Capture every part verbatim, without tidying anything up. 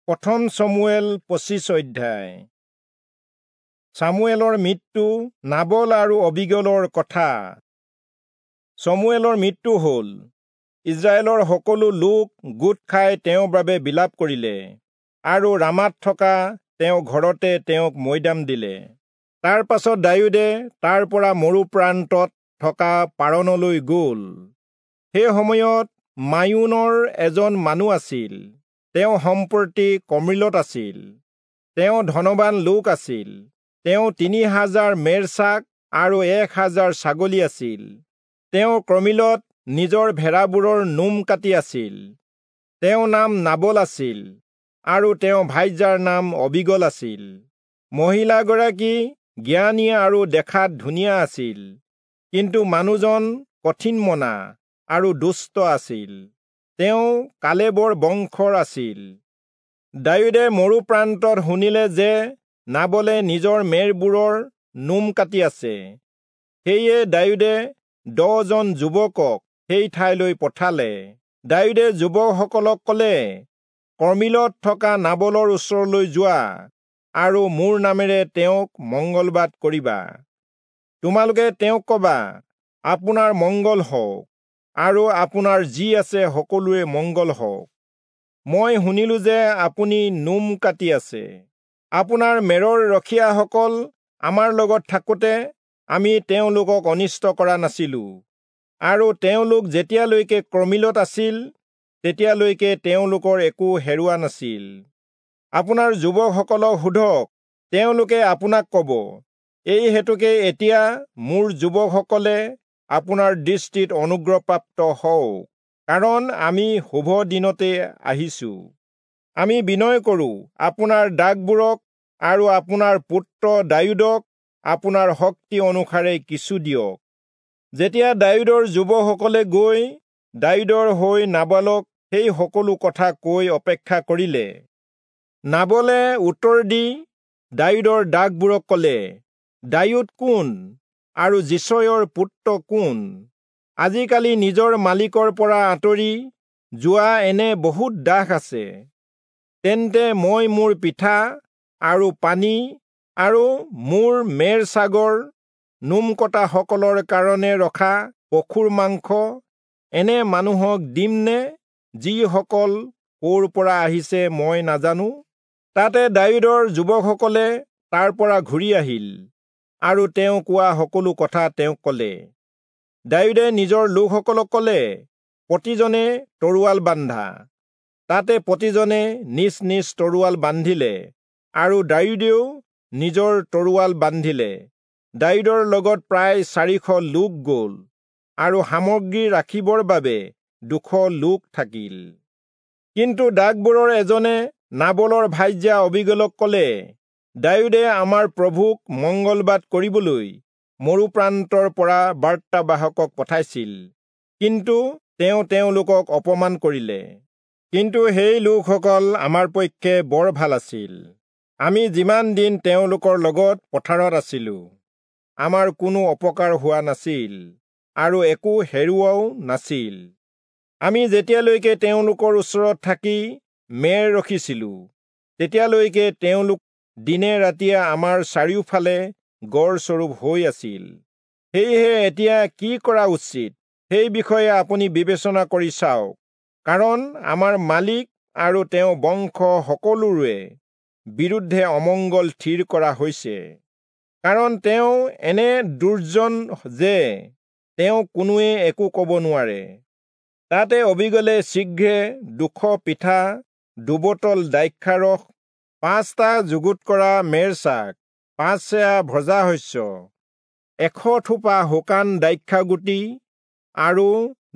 প্ৰথম চমুৱেল পঁচিছ অধ্যায়। চামুৱেলৰ মৃত্যু, নাবল আৰু অবীগলৰ কথা। চমুৱেলৰ মৃত্যু হ'ল। ইস্ৰায়েলৰ সকলো লোক গোট খাই তেওঁৰ বাবে বিলাপ কৰিলে আৰু ৰামাত থকা তেওঁ ঘৰতে তেওঁক মৈদাম দিলে। তাৰ পাছত দায়ূদে তাৰ পৰা মৰুপ্ৰান্তত থকা পাৰণলৈ গ'ল। সেই সময়ত মায়োনৰ এজন মানুহ আছিল, তেওঁ সম্প্ৰতি কৰ্মিলত আছিল। তেওঁ ধনবান লোক আছিল। তেওঁ তিনি হাজাৰ মেৰছাক আৰু এক হাজাৰ ছাগলী আছিল। তেওঁ কৰ্মিলত নিজৰ ভেড়াবোৰৰ নোম কাটি আছিল। তেওঁৰ নাম নাবল আছিল আৰু তেওঁ ভাৰ্যাৰ নাম অবীগল আছিল। মহিলাগৰাকী জ্ঞানী আৰু দেখাত ধুনীয়া আছিল, কিন্তু মানুহজন কঠিনমনা আৰু দুষ্ট আছিল। তেওঁ কালেবৰ বংশৰ আছিল। দায়ূদে মৰুপ্ৰান্তত শুনিলে যে নাবলে নিজৰ মেৰবোৰৰ নোম কাটি আছে। সেয়ে দায়ূদে দহজন যুৱকক সেই ঠাইলৈ পঠালে। দায়ূদে যুৱকসকলক ক'লে, কৰ্মিলত থকা নাবলৰ ওচৰলৈ যোৱা আৰু মোৰ নামেৰে তেওঁক মংগলবাদ কৰিবা। তোমালোকে তেওঁক ক'বা, আপোনাৰ মংগল হওক আৰু আপোনাৰ যি আছে সকলোৰে মংগল হওক। মই শুনিলো যে আপুনি নোম কাটি আছে। আপোনাৰ মেৰৰ ৰখীয়াসকল আমাৰ লগত থাকোঁতে আমি তেওঁলোকক অনিষ্ট কৰা নাছিলো, আৰু তেওঁলোক যেতিয়ালৈকে কৰ্মিলত আছিল তেতিয়ালৈকে তেওঁলোকৰ একো হেৰুৱা নাছিল। আপোনাৰ যুৱকসকলক সোধক, তেওঁলোকে আপোনাক ক'ব। এই হেতুকে এতিয়া মোৰ যুৱকসকলে আপোনাৰ দৃষ্টিত অনুগ্ৰহপ্ৰাপ্ত হওক, কাৰণ আমি শুভ দিনতে আহিছো। আমি বিনয় কৰোঁ, আপোনাৰ দাসবোৰক আৰু আপোনাৰ পুত্ৰ দায়ূদক আপোনাৰ শক্তি অনুসাৰে কিছু দিয়ক। যেতিয়া দায়ূদৰ যুৱকসকলে গৈ দায়ূদৰ হৈ নাবলক সেই সকলো কথা কৈ অপেক্ষা কৰিলে, নাবলে উত্তৰ দি দায়ূদৰ দাসবোৰক ক'লে, দায়ূদ কোন আৰু যিচয়ৰ পুত্ৰ কোন? আজিকালি নিজৰ মালিকৰ পৰা আঁতৰি যোৱা এনে বহুত দাস আছে। তেন্তে মই মোৰ পিঠা আৰু পানী আৰু মোৰ মেৰ ছাগৰ নোম কটাসকলৰ কাৰণে ৰখা পশুৰ মাংস এনে মানুহক দিমনে, যিসকল ক'ৰ পৰা আহিছে মই নাজানো? তাতে দায়ূদৰ যুৱকসকলে তাৰ পৰা ঘূৰি আহিল আৰু তেওঁ কোৱা সকলো কথা তেওঁক ক'লে। দায়ূদে নিজৰ লোকসকলক ক'লে, প্ৰতিজনে তৰোৱাল বান্ধা। তাতে প্ৰতিজনে নিজ নিজ তৰোৱাল বান্ধিলে আৰু দায়ূদেও নিজৰ তৰোৱাল বান্ধিলে। দায়ূদৰ লগত প্ৰায় চাৰিশ লোক গ'ল আৰু সামগ্ৰী ৰাখিবৰ বাবে দুশ লোক থাকিল। কিন্তু দাসবোৰৰ এজনে নাবলৰ ভাৰ্যা অবীগলক ক'লে, দায়ূদে আমাৰ প্ৰভুক মংগলবাদ কৰিবলৈ মৰুপ্ৰান্তৰ পৰা বাৰ্তাবাহকক পঠাইছিল, কিন্তু তেওঁ তেওঁলোকক অপমান কৰিলে। কিন্তু সেই লোকসকল আমাৰ পক্ষে বৰ ভাল আছিল। আমি যিমান দিন তেওঁলোকৰ লগত পথাৰত আছিলো, আমাৰ কোনো অপকাৰ হোৱা নাছিল আৰু একো হেৰুওৱাও নাছিল। আমি যেতিয়ালৈকে তেওঁলোকৰ ওচৰত থাকি মেৰ ৰখিছিলো, তেতিয়ালৈকে তেওঁলোক দিনে ৰাতিয়ে আমাৰ চাৰিওফালে গড়স্বৰূপ হৈ আছিল। সেয়েহে এতিয়া কি কৰা উচিত সেই বিষয়ে আপুনি বিবেচনা কৰি চাওক, কাৰণ আমাৰ মালিক আৰু তেওঁ বংশ সকলোৰে বিৰুদ্ধে অমংগল থিৰ কৰা হৈছে। কাৰণ তেওঁ এনে দুৰ্জন যে তেওঁ কোনোৱে একো ক'ব নোৱাৰে। তাতে অবীগলে শীঘ্ৰে দুশ পিঠা, দুবটল দ্ৰাক্ষাৰস, পাঁচটা যুগুত কৰা মেৰছাক, পাঁচ সেয়া ভজা শস্য, এশ থোপা শুকান দ্ৰাক্ষাগুটি আৰু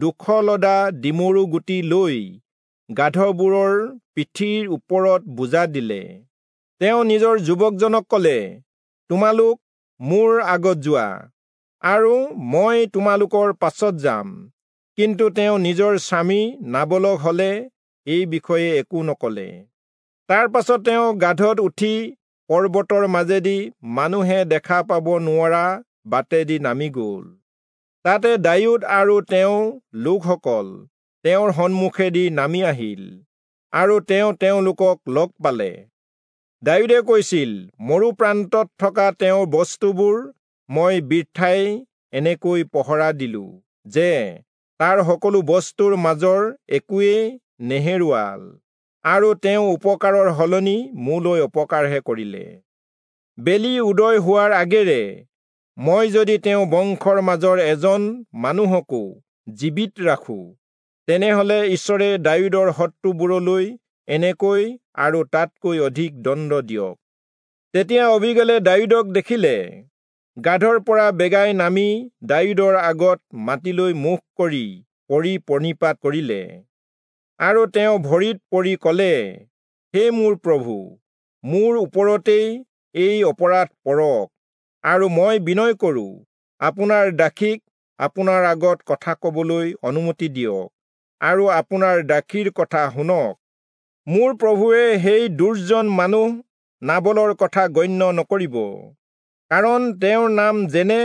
দুশ লদা ডিমৰু গুটি লৈ গাধবোৰৰ পিঠিৰ ওপৰত বোজা দিলে। তেওঁ নিজৰ যুৱকজনক ক'লে, তোমালোক মোৰ আগত যোৱা আৰু মই তোমালোকৰ পাছত যাম। কিন্তু তেওঁ নিজৰ স্বামী নাবলক হলে এই বিষয়ে একো নকলে। তাৰ পাছত তেওঁ গাধত উঠি পৰ্বতৰ মাজেদি মানুহে দেখা পাব নোৱাৰা বাটেদি নামি গ'ল। তাতে দায়ূদ আৰু তেওঁৰ লোকসকল তেওঁৰ সন্মুখেদি নামি আহিল আৰু তেওঁ তেওঁলোকক লগ পালে। দায়ূদে কৈছিল, মৰু প্ৰান্তত থকা তেওঁৰ বস্তুবোৰ মই বৃথাই এনেকৈ পহৰা দিলো যে তাৰ সকলো বস্তুৰ মাজৰ একোৱেই নেহেৰুৱাল, আৰু তেওঁ উপকাৰৰ সলনি মোলৈ অপকাৰহে কৰিলে। বেলি উদয় হোৱাৰ আগেৰে মই যদি তেওঁ বংশৰ মাজৰ এজন মানুহকো জীৱিত ৰাখো, তেনেহলে ঈশ্বৰে দায়ূদৰ শত্ৰুবোৰলৈ এনেকৈ আৰু তাতকৈ অধিক দণ্ড দিয়ক। তেতিয়া অবীগলে দায়ূদক দেখিলে, গাধৰ পৰা বেগাই নামি দায়ূদৰ আগত মাটিলৈ মুখ কৰি পৰি প্ৰণিপাত কৰিলে, আৰু তেওঁ ভৰিত পৰি কলে, হে মোৰ প্ৰভু, মোৰ ওপৰতেই এই অপৰাধ পৰক, আৰু মই বিনয় কৰোঁ, আপোনাৰ দাসীক আপোনাৰ আগত কথা কবলৈ অনুমতি দিয়ক, আৰু আপোনাৰ দাসীৰ কথা শুনক। মোৰ প্ৰভুৱে সেই দুৰ্জন মানুহ নাবলৰ কথা গণ্য নকৰিব, কাৰণ তেওঁৰ নাম যেনে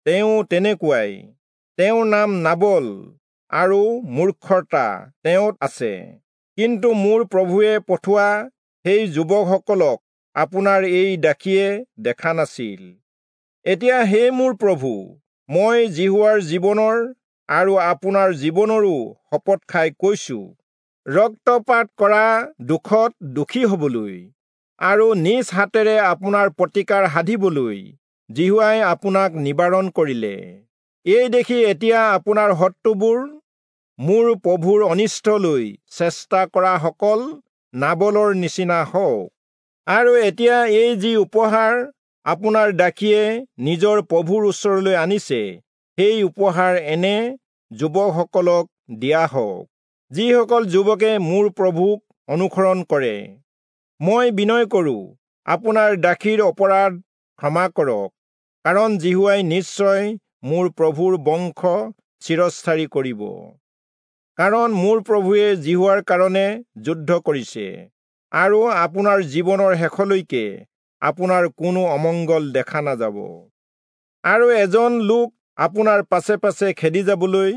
তেওঁ তেনেকুৱাই। তেওঁৰ নাম নাবল, আৰু মূৰ্খতা তেওঁত আছে। কিন্তু মোৰ প্ৰভুৱে পঠোৱা সেই যুৱকসকলক আপোনাৰ এই দাসীয়ে দেখা নাছিল। এতিয়া হে মোৰ প্ৰভু, মই যিহোৱাৰ জীৱনৰ আৰু আপোনাৰ জীৱনৰো শপত খাই কৈছো, ৰক্তপাত কৰা দুখত দুখী হবলৈ আৰু নিজ হাতেৰে আপোনাৰ প্ৰতিকাৰ সাধিবলৈ যিহোৱাই আপোনাক নিবাৰণ কৰিলে। এই দেখি এতিয়া আপোনাৰ শত্ৰুবোৰ মোৰ প্ৰভুৰ অনিষ্টলৈ চেষ্টা কৰাসকল নাবলৰ নিচিনা হওক। আৰু এতিয়া এই যি উপহাৰ আপোনাৰ দাসীয়ে নিজৰ প্ৰভুৰ ওচৰলৈ আনিছে, সেই উপহাৰ এনে যুৱকসকলক দিয়া হওক, যিসকল যুৱকে মোৰ প্ৰভুক অনুসৰণ কৰে। মই বিনয় কৰোঁ, আপোনাৰ দাসীৰ অপৰাধ ক্ষমা কৰক, কাৰণ যিহোৱাই নিশ্চয় মোৰ প্ৰভুৰ বংশ চিৰস্থায়ী কৰিব। কাৰণ মোৰ প্ৰভুৱে যিহোৱাৰ কাৰণে যুদ্ধ কৰিছে, আৰু আপোনাৰ জীৱনৰ শেষলৈকে আপোনাৰ কোনো অমংগল দেখা নাযাব। আৰু এজন লোক আপোনাৰ পাছে পাছে খেদি যাবলৈ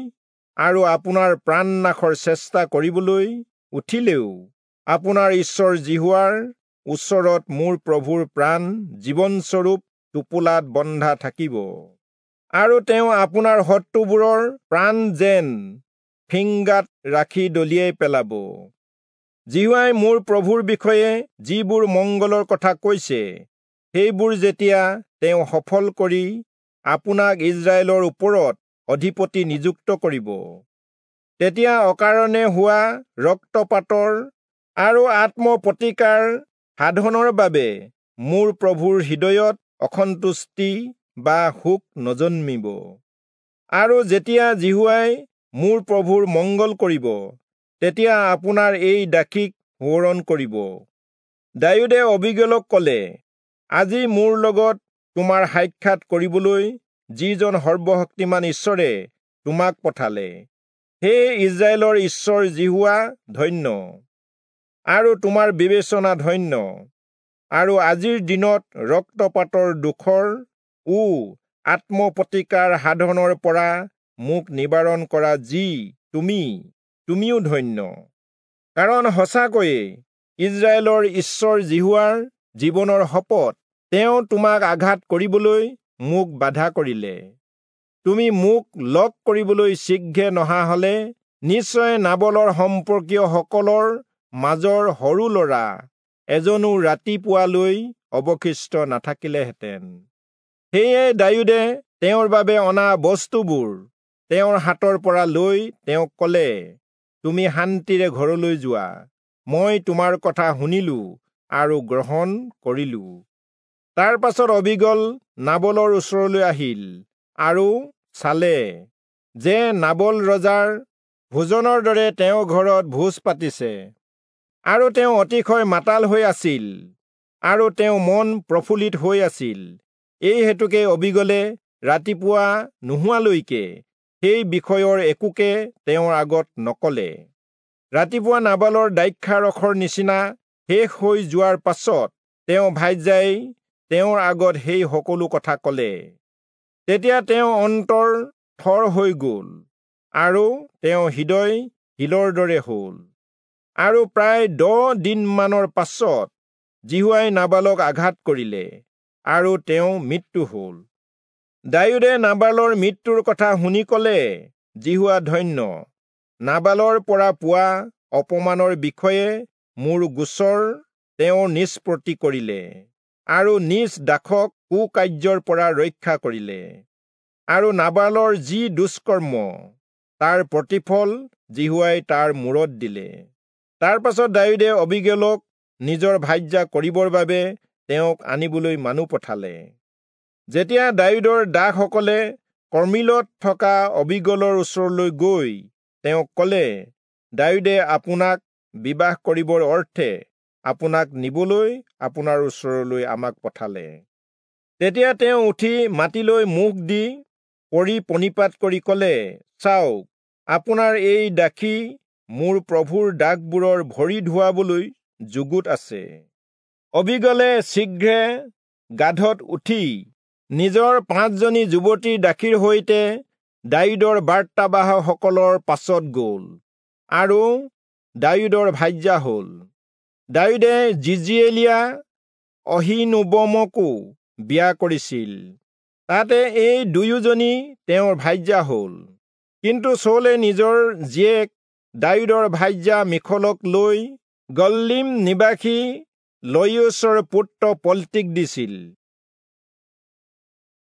আৰু আপোনাৰ প্ৰাণ নাশৰ চেষ্টা কৰিবলৈ উঠিলেও আপোনাৰ ঈশ্বৰ যিহোৱাৰ ওচৰত মোৰ প্ৰভুৰ প্ৰাণ জীৱনস্বৰূপ টোপোলাত বন্ধা থাকিব, আৰু তেওঁ আপোনাৰ শত্ৰুবোৰৰ প্ৰাণ যেন ফিংগাত ৰাখি দলিয়াই পেলাব। যিহোৱাই মোৰ প্ৰভুৰ বিষয়ে যিবোৰ মংগলৰ কথা কৈছে, সেইবোৰ যেতিয়া তেওঁ সফল কৰি আপোনাক ইস্ৰায়েলৰ ওপৰত অধিপতি নিযুক্ত কৰিব, তেতিয়া অকাৰণে হোৱা ৰক্তপাতৰ আৰু আত্মপ্ৰতিকাৰ সাধনৰ বাবে মোৰ প্ৰভুৰ হৃদয়ত অসন্তুষ্টি বা শোক নজন্মিব। আৰু যেতিয়া যিহোৱাই মোৰ প্ৰভুৰ মংগল কৰিব, তেতিয়া আপোনাৰ এই দাসীক সোঁৱৰণ কৰিব। দায়ূদে অবীগলক কলে, আজি মোৰ লগত তোমাৰ সাক্ষাৎ কৰিবলৈ যিজন সৰ্বশক্তিমান ঈশ্বৰে তোমাক পঠালে, সেই ইস্ৰায়েলৰ ঈশ্বৰ যিহোৱা ধন্য, আৰু তোমাৰ বিবেচনা ধন্য, আৰু আজিৰ দিনত ৰক্তপাতৰ দুখৰ ও আত্মপ্ৰতিকাৰ সাধনৰ পৰা মোক নিবাৰণ কৰা যি তুমি, তুমিও ধন্য। কাৰণ সঁচাকৈয়ে ইস্ৰায়েলৰ ঈশ্বৰ যিহোৱাৰ জীৱনৰ শপত, তেওঁ তোমাক আঘাত কৰিবলৈ মোক বাধা কৰিলে। তুমি মোক লগ কৰিবলৈ শীঘ্ৰে নহা হলে নিশ্চয় নাবলৰ সম্পৰ্কীয়সকলৰ মাজৰ সৰু ল'ৰা এজনো ৰাতিপুৱালৈ অৱশিষ্ট নাথাকিলেহেঁতেন। সেয়ে দায়ূদে তেওঁৰ বাবে অনা বস্তুবোৰ তেওঁৰ হাতৰ পৰা লৈ তেওঁক কলে, তুমি শান্তিৰে ঘৰলৈ যোৱা, মই তোমাৰ কথা শুনিলো আৰু গ্ৰহণ কৰিলো। তাৰ পাছত অবীগল নাবলৰ ওচৰলৈ আহিল আৰু চালে যে নাবল ৰজাৰ ভোজনৰ দৰে তেওঁ ঘৰত ভোজ পাতিছে, আৰু তেওঁ অতিশয় মাতাল হৈ আছিল, আৰু তেওঁ মন প্ৰফুল্লিত হৈ আছিল। এই হেতুকে অবীগলে ৰাতিপুৱা নোহোৱালৈকে সেই বিষয়ৰ একোকে তেওঁৰ আগত নকলে। ৰাতিপুৱা নাবালৰ দ্ৰাক্ষাৰসৰ নিচিনা শেষ হৈ যোৱাৰ পাছত তেওঁ ভাৰ্যাই তেওঁৰ আগত সেই সকলো কথা কলে। তেতিয়া তেওঁ অন্তৰ থৰ হৈ গল আৰু তেওঁ হৃদয় শিলৰ দৰে হল। আৰু প্ৰায় দহ দিনমানৰ পাছত যিহোৱাই নাবালক আঘাত কৰিলে আৰু তেওঁ মৃত্যু হল। দায়ূদে নাবালৰ মৃত্যুৰ কথা শুনি কলে, যিহোৱা ধন্য, নাবালৰ পৰা পোৱা অপমানৰ বিষয়ে মোৰ গোচৰ তেওঁ নিষ্পত্তি কৰিলে আৰু নিজ দাসক কুকাৰ্যৰ পৰা ৰক্ষা কৰিলে, আৰু নাবালৰ যি দুষ্কৰ্ম তাৰ প্ৰতিফল যিহোৱাই তাৰ মূৰত দিলে। তাৰ পাছত দায়ূদে অবিগেলক নিজৰ ভাৰ্যা কৰিবৰ বাবে তেওঁক আনিবলৈ মানুহ পঠালে। যেতিয়া দায়ূদৰ দাসসকলে কৰ্মিলত থকা অবিগলৰ ওচৰলৈ গৈ তেওঁক কলে, দায়ূদে আপোনাক বিবাহ কৰিবৰ অৰ্থে আপোনাক নিবলৈ আপোনাৰ ওচৰলৈ আমাক পঠালে। তেতিয়া তেওঁ উঠি মাটিলৈ মুখ দি পৰি প্ৰণিপাত কৰি কলে, চাওক, আপোনাৰ এই দাসী মোৰ প্ৰভুৰ দাসবোৰৰ ভৰি ধুৱাবলৈ যুগুত আছে। অবিগলে শীঘ্ৰে গাধত উঠি নিজৰ পাঁচজনী যুৱতীৰ দাসীৰ সৈতে দায়ূদৰ বাৰ্তাবাহকসকলৰ পাছত গল আৰু দায়ূদৰ ভাৰ্যা হল। দায়ূদে যিজ্ৰিয়েলীয়া অহীনোৱমকো বিয়া কৰিছিল, তাতে এই দুয়োজনী তেওঁৰ ভাৰ্যা হল। কিন্তু চৌলে নিজৰ জীয়েক দায়ূদৰ ভাৰ্যা মীখলক লৈ গল্লীম নিবাসী লয়ীচৰ পুত্ৰ পল্টিক দিছিল।